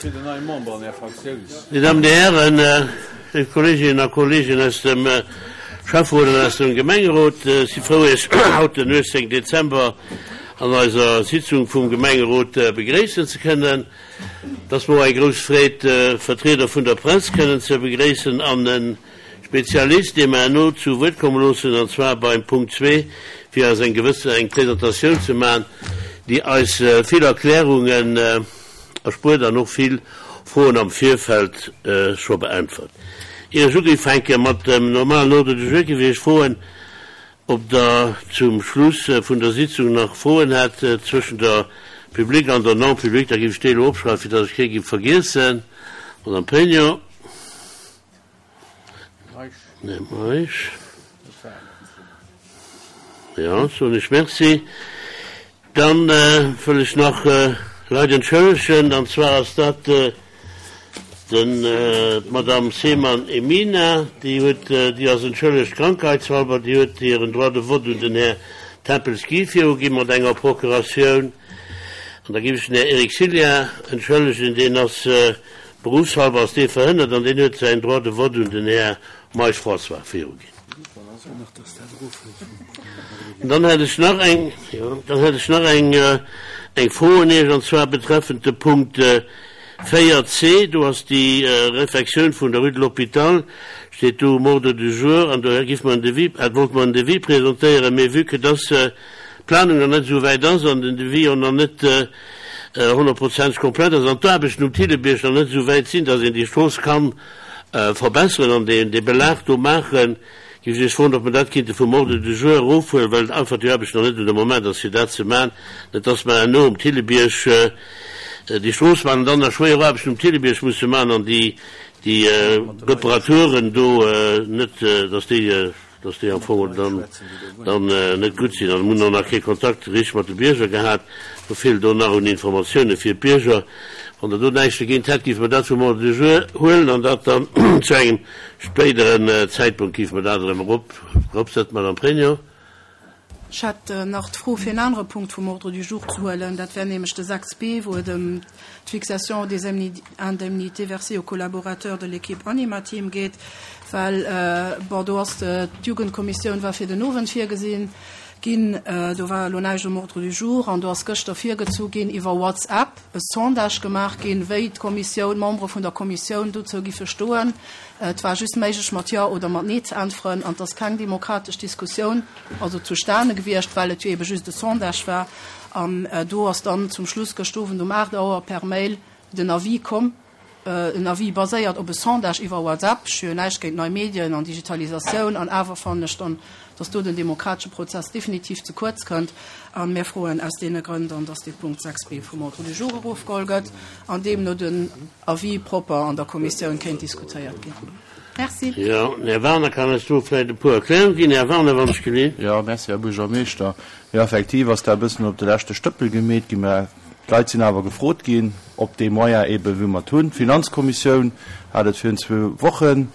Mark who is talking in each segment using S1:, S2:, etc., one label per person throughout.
S1: Dir Dammen, Dir Hären, léif Kolleeginnen a Kolleegen aus dem Schäfferot an aus dem Gemengerot, ech si frou, Iech haut, den 18 Dezember, an eiser Sitzung vum Gemengerot begréissen ze kënnen. Et ass mer och eng grouss Freed, Vertrieder vun der Press kënnen ze begréissen an e Spezialist, dee mer herno zu Wuert komme loossen, an zwar beim Punkt zwee, fir eis eng gewësse eng Presentatioun ze maachen, déi eis vill Erklärungen erspuert an och vill Froen am Virfeld scho beäntwert. Ier ech ugifänke mat dem normalen Ordre du jour, géif ech Iech froen, ob Der zum Schluss vun der Sitzung nach Froen hätt zwëschen der Publique an der Non-publique. Da géif ech déi elo opschreiwen, fir datt ech kee géif vergiessen. Madame Pregno. Här Meisch. Jo, soen ech Merci. Dann wëll ech nach Leit entschëllegen, an zwar ass dat den, d'Madame Seemann Emina, déi huet, déi ass entschëllegt krankheitshalber, déi huet hiren Droit de vote un den Här Tempels Guy viruginn mat enger Procuratioun. An da géif ech den Här Eric Sillia entschëllegen, deen ass berufshalber ass dee verhënnert an deen huet säin Droit de vote un den Här Meisch François viruginn. Dann hätt ech nach eng, jo, dann hätt ech nach eng, eng Fro un Iech, an zwar betreffend de Punkt 4 c. Do ass déi Réfectioun vun der Rue de l'Hôpital, steet do um Ordre du jour, an do géif mer en Devis, wollte mer en Devis presentéieren, mee vue que dass d'Planung nach net esou wäit ass an den Devis och nach net honnertprozenteg komplett ass an d'Aarbechten um Thillebierg nach net esou wäit sinn, dass een déi Strooss kann verbesseren an dee Belag do maachen, géif ech Iech froen, ob mer dat kéinte vum Ordre du jour erofhuelen, well einfach déi Aarbecht nach net un de Moment ass, fir dat ze maachen, net dass mer herno um Thillebierg déi Strooss maachen an dann nach schwéier Aarbechten um Thillebierg musse maachen an déi Reparaturen do net, dass déi. dass déi am Fong dann dann net gutt sinn. An mir hunn och nach kee Kontakt richteg mat de Bierger gehat. Do feelt och nach un Informatioune fir d'Bierger. Wann Der do näischt dogéint hätt, géife mer dat vum Ordre du jour huelen an dat dann zu engem spéideren Zäitpunkt géife mer dat erëm erop eropsetzen. Madame Pregno.
S2: Ech hätt nach d'Fro, fir en anere Punkt vum Ordre du jour ze huelen. Dat wär nämlech de 6 b, wou et ëm d'Fixation des indemnités versées aux collaborateurs de l'équipe Animateam geet. Well, bon, do ass d'Jugendkommissioun war fir den Owend virgesinn ginn. Do war elo näischt um Ordre du jour. An do ass gëschter virgezu ginn iwwer WhatsApp e Sondage gemaach ginn, wéi d'Kommissioun, d'Membere vun der Kommissioun dozou giffe stoen. Et war just méiglech, mat Jo oder mat Nee ze äntweren. An et ass keng demokratesch Diskussioun also zustane gewiescht, well et jo eebe just e Sondage war. An do ass dann zum Schluss gëscht Owend um 8 Auer per Mail den Avis komm, en Avis baséiert op e Sondage iwwer WhatsApp. Ech hu jo näischt géint nei Medien an Digitalisatioun, an awer fannen ech dann, dass do den demokratesche Prozess definitiv ze kuerz kënnt. A mir froen aus deene Grënn dann, dass dee Punkt 6 b vum Ordre du jour erofgeholl gëtt an deemno den Avis propper an der Kommissioun kéint diskutéiert ginn. Merci.
S1: Jo, den Här Wagener kann eis do vläicht e puer Erklärunge ginn. Här Wagener, wann ech gelinn.
S3: Jo, merci, Här Buergermeeschter. Jo, effektiv ass dat e bëssen op de leschte Stëppel gemeet ginn, mä d'Leit sinn awer gefrot ginn, op dee Moyen eeben, wou mer et hunn. D'Finanzkommissioun hat et virun zwou Wochen,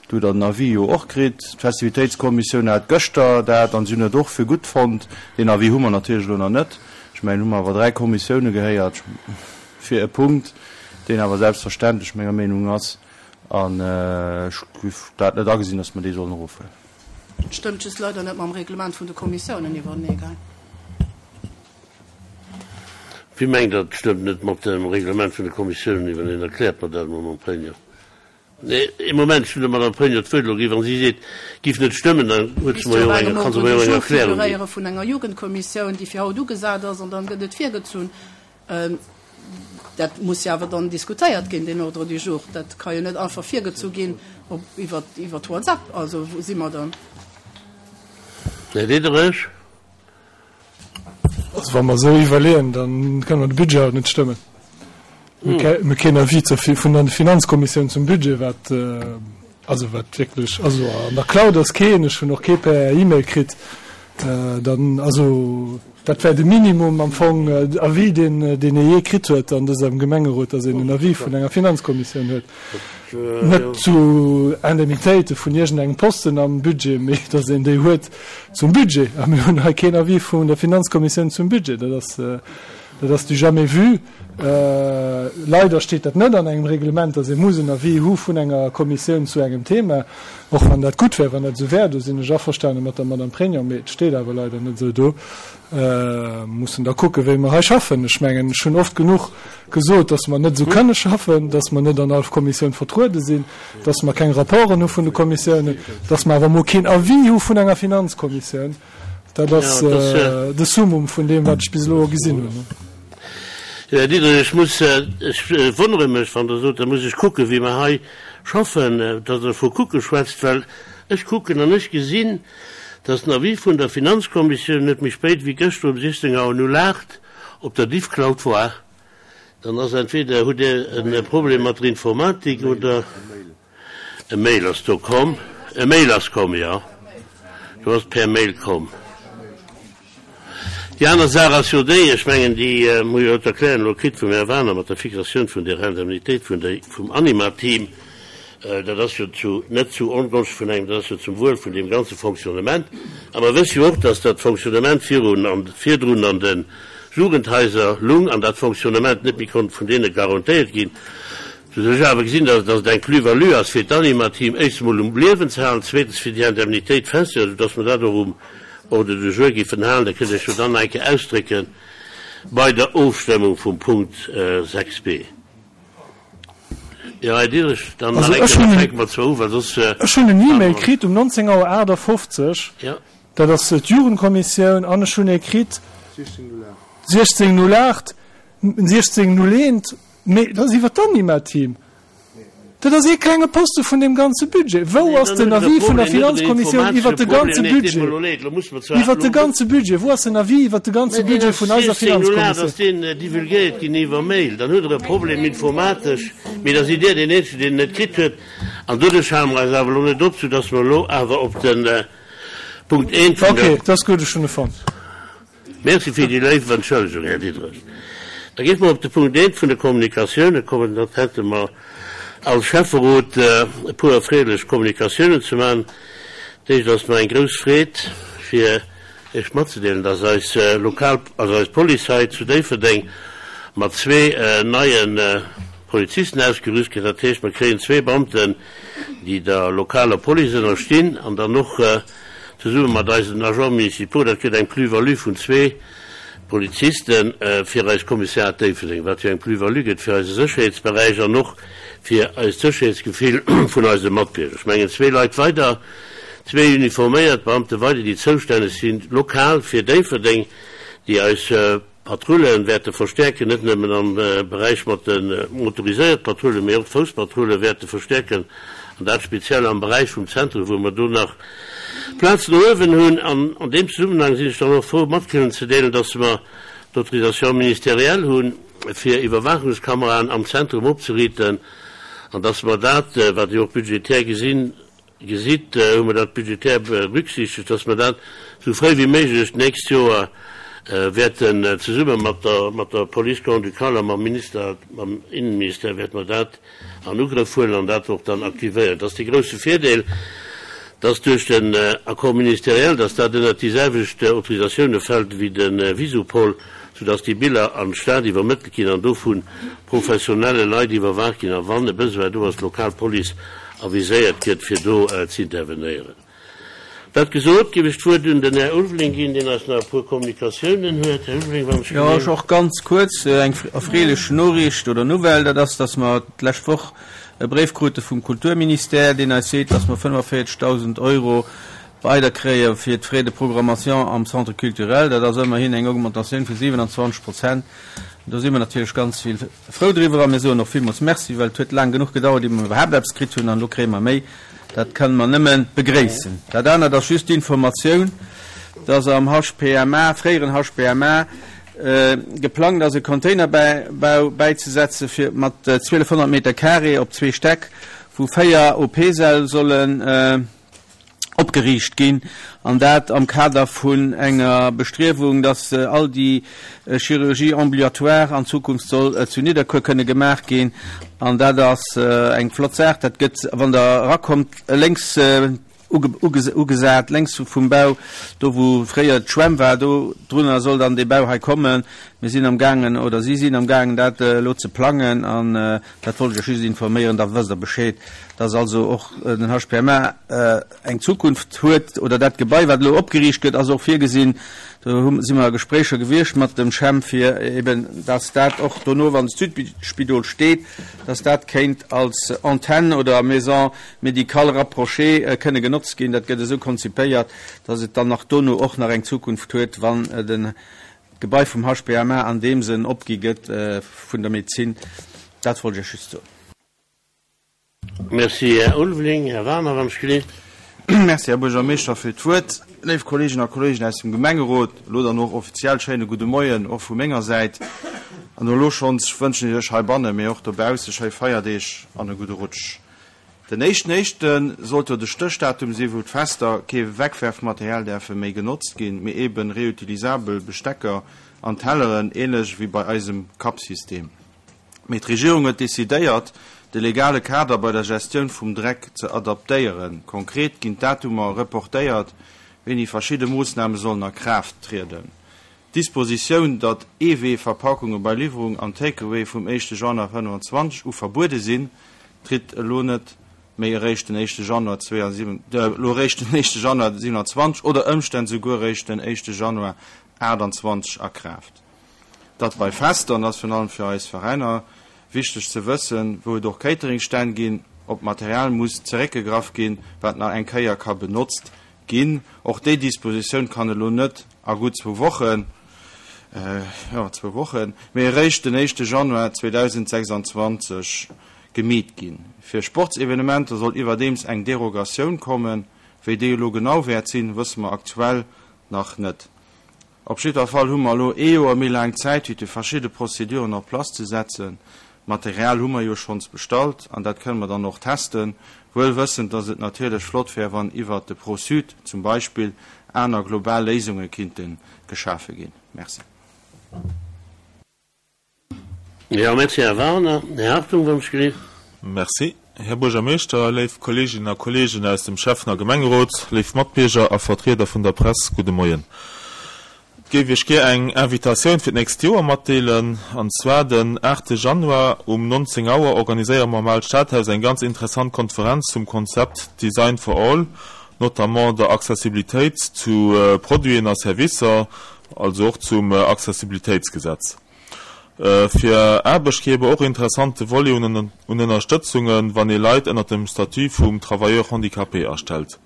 S3: do hutt Der den Avis jo och kritt. D'Festivitéitskommissioun hat gëschter dat an si hunn et och fir gutt fonnt. Deen Avis hu mer natierlech elo nach net. Ech mengen, hu mer awer dräi Kommissioune gehéiert fir e Punkt, deen awer selbstverständlech menger Meenung ass. An ech géif dat net agesinn, dass mer dee sollen erofhuelen.
S2: Et stëmmt just leider net mam Reglement vun de Kommissiounen iwwerenee, gell?
S1: Wie mengt Der, et stëmmt net mat dem Reglement vun de Kommissiounen iwwereneen? Erkläert mer dat emol, Mme Pregno. Nee, ee Moment, ech hunn der Madame Pregno d'Wuert elo ginn. Wa si seet, et géif net stëmmen, dann huet se
S2: Misst
S1: mer
S2: jo
S1: jo
S2: op
S1: och eng,
S2: engem
S1: kann se
S2: Ordre
S1: mer
S2: du
S1: jo och eng
S2: jour
S1: Erklärung ginn.
S2: figuréiere vun enger Jugendkommissioun, déi fir haut ugesat ass, an dann gëtt et virgezunn. Dat muss jo awer dann diskutéiert ginn, deen Ordre du jour. Dat ka jo net einfach virgezu ginn op iwwer iwwer WhatsApp. Also wou si mer dann?
S1: Här Diderich.
S4: Also wa mer esou iwwerleeën, da kënne mer de Budget haut net stëmmen. Mir hu keen Avis zur vun der Finanzkommissioun zum Budget, wat also wat wierklech, also an der Cloud ass keen, ech hunn och kee per E-Mail kritt. Dann, also dat wär de Minimum am Fong Avis, deen deen ee jee kritt huet an dësem Gemengerot, datt een en Avis vun enger Finanzkommissioun huet. Net zu Indemnitéite vun iergendengem Posten am Budget, mee datt een déi huet zum Budget. A mir hunn hei keen Avis vun der Finanzkommissioun zum Budget. Dat ass, dat ass du jamais vu. Leider steet dat net an engem Reglement, dass ee muss en Avis hu vun enger Kommissioun zu engem Thema, och wann dat gutt wär, wann dat esou wär. Do sinn ech averstane mat der Madame Pregno, mee et steet awer leider net esou do. Mussen da kucken, wéi mer hei schaffen. Ech mengen, ech hunn oft genuch gesot, dass mer net esou kënne schaffen, dass mer net an all Kommissioun vertruede sinn, dass mer keng Rapporten hu vun de Kommissiounen, dass mer awer emol keen Avis hu vun enger Finanzkommissioun. Dat ass de Summum vun deem, wat ech bis elo gesinn hunn.
S1: Jo, Här Diderich, ech muss, ech wonnere mech, wann Der sot, da muss ech kucken, wéi mer hei schaffen, datt Der vu kucke schwätzt, well ech kucken an ech gesinn, datt den Avis vun der Finanzkommissioun net méi spéit wéi gëschter um 16 Auer 08 op der Diffcloud war. Dann ass entweder hutt Dir e Problem mat der Informatik oder e Mail ass do komm. E Mail ass komm, jo. Do ass per Mail komm. Déi aner Saach ass jo déi, ech mengen, déi hu jo d'Erklärung elo kritt vum Här Waner mat der Fixatioun vun der Indemnitéit vun der, vum Anima-Team. Dat ass jo zu, net zu Ongonscht vun engem, dat ass jo zum Wuel vun deem ganze Fonctionnement. A mer wësse jo och, dass dat Fonctionnement virun an, virdrun an de Jugendhaiser lung an dat Fonctionnement net méi konnt vun deene garantéiert ginn. Soudass ech awer gesinn, dass dass et eng Plus-value ass fir d'Animateam éischts emol um Liewen ze halen, zweetens fir déi Indemnitéit festzehalen, soudass mer dat och um Ordre du jour géifen halen. Da kënnt Dir Iech jo dann nach eng Kéier ausdrécke bei der Ofstëmmung vum Punkt 6 b. Jo, Här Diderich, dann nach
S4: Also
S1: eng
S4: ech
S1: Kéier,
S4: hunn
S1: da
S4: en,
S1: fänke mer zwar u, well soss
S4: ech hunn en
S1: hale
S4: E-Mail
S1: mer.
S4: kritt um 19 Auer 58,
S1: Jo.
S4: dat ass d'Jugendkommissioun, an ech hunn ee kritt 16.08, 16.01, mee dat ass iwwer d'Anima-Team. Dat ass ee klenge Poste vun deem ganze Budget. Wou ass den Avis vun der Finanzkommissioun iwwert de ganze Budget? Iwwert de ganze Budget! Wou ass den Avis iwwert de ganze Budget vun eiser Finanzkommissioun?
S1: Ass deen divulgéiert ginn iwwer Mail, dann hutt Der e Problem informatesch, mee da sidd Dir deen Eenzegen, deen en net kritt huet. An doduerch hale mer eis awer elo net op, soudass mer elo awer op de Punkt eent vun der.
S4: Okay, dat ass gutt, ech hunn e fonnt.
S1: Merci fir déi léif Entschëllegung, Här Diderich. Da géife mer op de Punkt eent vun de Kommunikatiounen kommen. Dat hätte mer als Schäfferot e puer erfreelech Kommunikatiounen ze maachen. D'éischt ass mer eng grouss Freed, fir Iech matzedeelen, dass eis lokal, also eis Police hei zu Déifferdeng mat zwee neie Polizisten ausgerüst gëtt. Dat heescht, mer kréien zwee Beamten, déi der lokaler Police ënnerstinn an dann och Zesumme mat eisen Agents municipaux, dat gëtt eng Plus-value vun zwee Poliziste fir eist Kommissariat Déifferdeng, wat jo eng Plus-value gëtt fir eise Sécherheetsberäich an och fir eist Sécherheetsgefill vun eise Matbierger. Ech mengen, zwee Leit weider, zwee uniforméiert Beamte weider, déi zoustänneg sinn lokal fir Déifferdeng, déi eis Patrulle wäerte verstäerken, net nëmmen am Beräich mat de motoriséiert Patrullen, mee och d'Fousspatrulle wäerte verstäerken, an dat speziell am Beräich vum Zentrum, wou mer do nach Plaz no uewen hunn. An an deem Zesummenhang sinn ech dann och frou mat kënnen ze deelen, dass mer d'Autorisation ministérielle hunn, fir Iwwerwaachungskameraen am Zentrum opzeriiten, an dass mer dat, wat Dir och budgetär gesinn, Gesitt, hu mer dat budgetär berücksichtegt, dass mer dat esou fréi wéi méiglech d'nächst Joer wäerten zesumme mat der, mat der Police grand-ducale a mam Minister, mam Innenministère wäerte mer dat an Ugrëff huelen an dat och dann aktivéieren. Dat ass dee grouse Virdeel, dass duerch den Accord ministériel, dass dat ënnert déi selwecht Autorisatioune fält wéi de Visupol, soudass déi Biller an d'Stad iwwermëttelt ginn an do vu professionelle Leit iwwerwaacht ginn a wann e Besoin do ass, d'lokal Police aviséiert gëtt, fir do z'intervenéieren. Dat gesot, géif ech d'Wuert un den Här Ulveling ginn, deen eis nach e puer Kommunikatiounen huet. Här Ulveling, wann ech
S5: Jo,
S1: genee.
S5: och ganz kuerz eng erfreelech Noriicht oder Nouvelle, dat ass, dass mer d'lescht Woch e Bréif krute vum Kulturministère, deen eis seet, dass mer 45.000 Euro weider kréie fir d'Frais de programmation am Centre culturel. Dat ass ëmmerhin eng Augmentatioun vu 27 Prozent. Do si mer natierlech ganz vill frou driwwer a mir soen och villmools Merci, well et huet laang genuch gedauert, ier mer iwwerhaapt eppes kritt hunn an elo kréie mer méi. Dat kënne mer nëmme begréissen. Dat anert ass just d'Informatioun, dass am HPMA, fréieren HPMA, geplangt ass e Containerbau bäizesetze fir mat 1.200 Meter carré op zwee Stäck, wou véier OP-Säll sollen opgeriicht ginn, an dat am Kader vun enger Bestriewung, dass all déi Chirurgie ambulatoire an Zukunft soll zu Nidderkuer kënne gemaach ginn. An dat ass eng flott Saach. Dat gëtt, wann Der erakommt, lénks. Ugesat, lénks vum Bau, do wou fréier d'Schwämm war, do drunner soll dann dee Bau hei kommen. Mir sinn am gaangen, oder si sinn am gaangen dat elo ze plangen an dat wollt ech Iech just informéieren, da wësst Der Bescheed, dass also och den HPMA eng Zukunft huet, oder dat Gebai wat elo opgeriicht gëtt ass och virgesinn, do hu si mer a Gespréicher gewiescht mat dem CHEM, fir eben dass dat och dono, wann d'Südspidol steet, dass dat kéint als Antenne oder Maison médicale rapprochée kënne genotzt ginn. Dat gëtt esou konzipéiert, dass et dann nach dono och nach eng Zukunft huet, wann den d'Gebai vum HPMA an deem Sënn opgi gëtt vun der Medezin. Dat wollt ech Iech just soen.
S1: Merci, Här Ulveling. Här Werner, wann ech gelift.
S3: Merci, Här Buergermeeschter, fir d'Wuert. Léif Kolleeginnen a Kolleegen aus dem Gemengerot, elo dann och offiziell schéine gudde Moien och vu menger Säit. An elo schonns wënschen ech Iech heibanne, mee och dobausse schéi Feierdeeg an e gudde Rutsch. Den éischten éischte sollt jo de Stéchdatum sinn, wou d'Fester kee Wegwerfmaterial däerfe méi genotzt ginn, mee eben reutilisabel Bestecker an Telleren, ähnlech wéi bei eisem Cup-System. Mee d'Regierung huet decidéiert, de legale Kader bei der Gestioun vum Dreck ze adaptéieren. Konkret ginn d'Datumer reportéiert, wéini verschidde Moossname sollen a Kraaft trieden. D'Dispositioun, datt Eewee-Verpakunge bei Liwwerung an Take-Away vum éischte Januar 25 u verbuede sinn, tritt elo net méi eréischt den éischte Januar elo eréischt den éischte Januar 27 oder Ëmstänn souguer eréischt den éischte Januar 28 a Kraaft. Datt bei Fester, an dat ass virun allem fir eis Veräiner wichteg ze wëssen, wou et och Cateringstänn ginn, op Material muss zeréckgegraff ginn, wat nach eng Kéier ka benotzt Ginn. Och déi Dispositioun kann elo net a gutt zwou Wochen, jo, zwou Wochen, mee eréischt den éischte Januar 2026 gemeet ginn. Fir Sportsevenementer soll iwwerdeems eng Derogatioun kommen. Wéi déi elo genau wäert sinn, wësse mer aktuell nach net. Op jiddwer Fall hu mer elo ee Joer méi laang Zäit, fir déi verschidde Prozeduren en place ze setzen. Material hu mer jo schonns bestallt an dat kënne mer dann och testen, wuel wëssend, dass et natierlech flott wär, wann iwwert de Pro-Sud zum Beispill aner global Léisunge kinnte geschafe ginn. Merci.
S1: Jo, merci, Här Wagener. Här Hartung, wann ech gelift.
S6: Merci, Här Buergermeeschter, léif Kolleeginnen a Kolleegen aus dem Schäffen a Gemengerot, léif Matbierger a Vertrieder vun der Press, gudde Moien. Et géif Iech gär eng Invitatioun fir d'nächst Joer matdeelen. An zwar den aachte Januar um 19 Auer organiséiere mer am Aalt Stadhaus eng ganz interessant Konferenz zum Konzept Design for All, notamment der Accessibilitéit zu Produiten a Servicer, also och zum Accessibilitéitsgesetz. Fir Aarbechtgeber och interessante Volet un Ënnerstëtzungen, wann ee Leit ënnert dem Statut vum Travailleur handicapé astellt.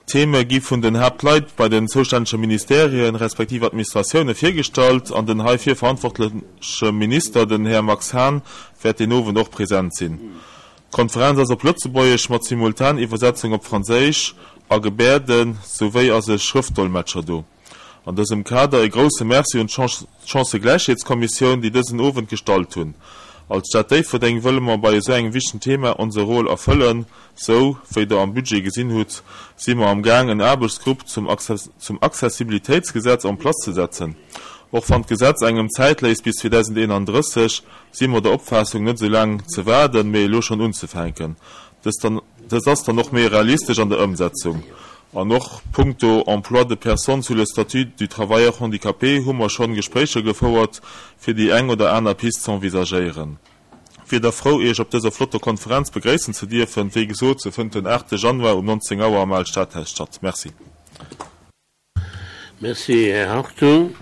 S6: D'Theme gi vun den Haaptleit bei den zoustännege Ministerien respektiv Administratioune virgestallt an den heifir verantwortleche Minister, den Här Max Hahn, wäert deen Owend och present sinn. D'Konferenz ass op Lëtzebuergesch mat Simultaniwwersetzung op Franséisch a Gebäerden, souwéi ass e Schrëftdolmetscher do. An dësem Kader e grousse Merci un d'Chancëgläichheetskommissioun, déi dësen Owend gestallt hunn. Als Stad Déifferdeng wëlle mer bei esou engem wichtegen Thema onse Rôle erfëllen. Sou wéi der am Budget gesinn hutt, si mer am Gaang en Aarbechtsgrupp zum zum Accessibilitéitsgesetz en place ze setzen. Och wann d'Gesetz engem Zäit léisst bis 2031, si mer der Opfaassung net esou laang ze waarden, mee elo schonn unzefänken. Dëst ass dann och méi realistesch an der Ëmsetzung. An och punkto Emploi de personnes sous le statut du travailleur handicapé hu mer schonn Gespréicher gefouert, fir déi eng oder aner Pist z'envisagéieren. Wier da frou, Iech op dëser flotter Konferenz begréissen ze dierfen. Wéi gesot, se fënnt den 8 Januar um 19 Auer am Aalt Stadhaus statt. Merci.
S1: Merci, Här Hartung.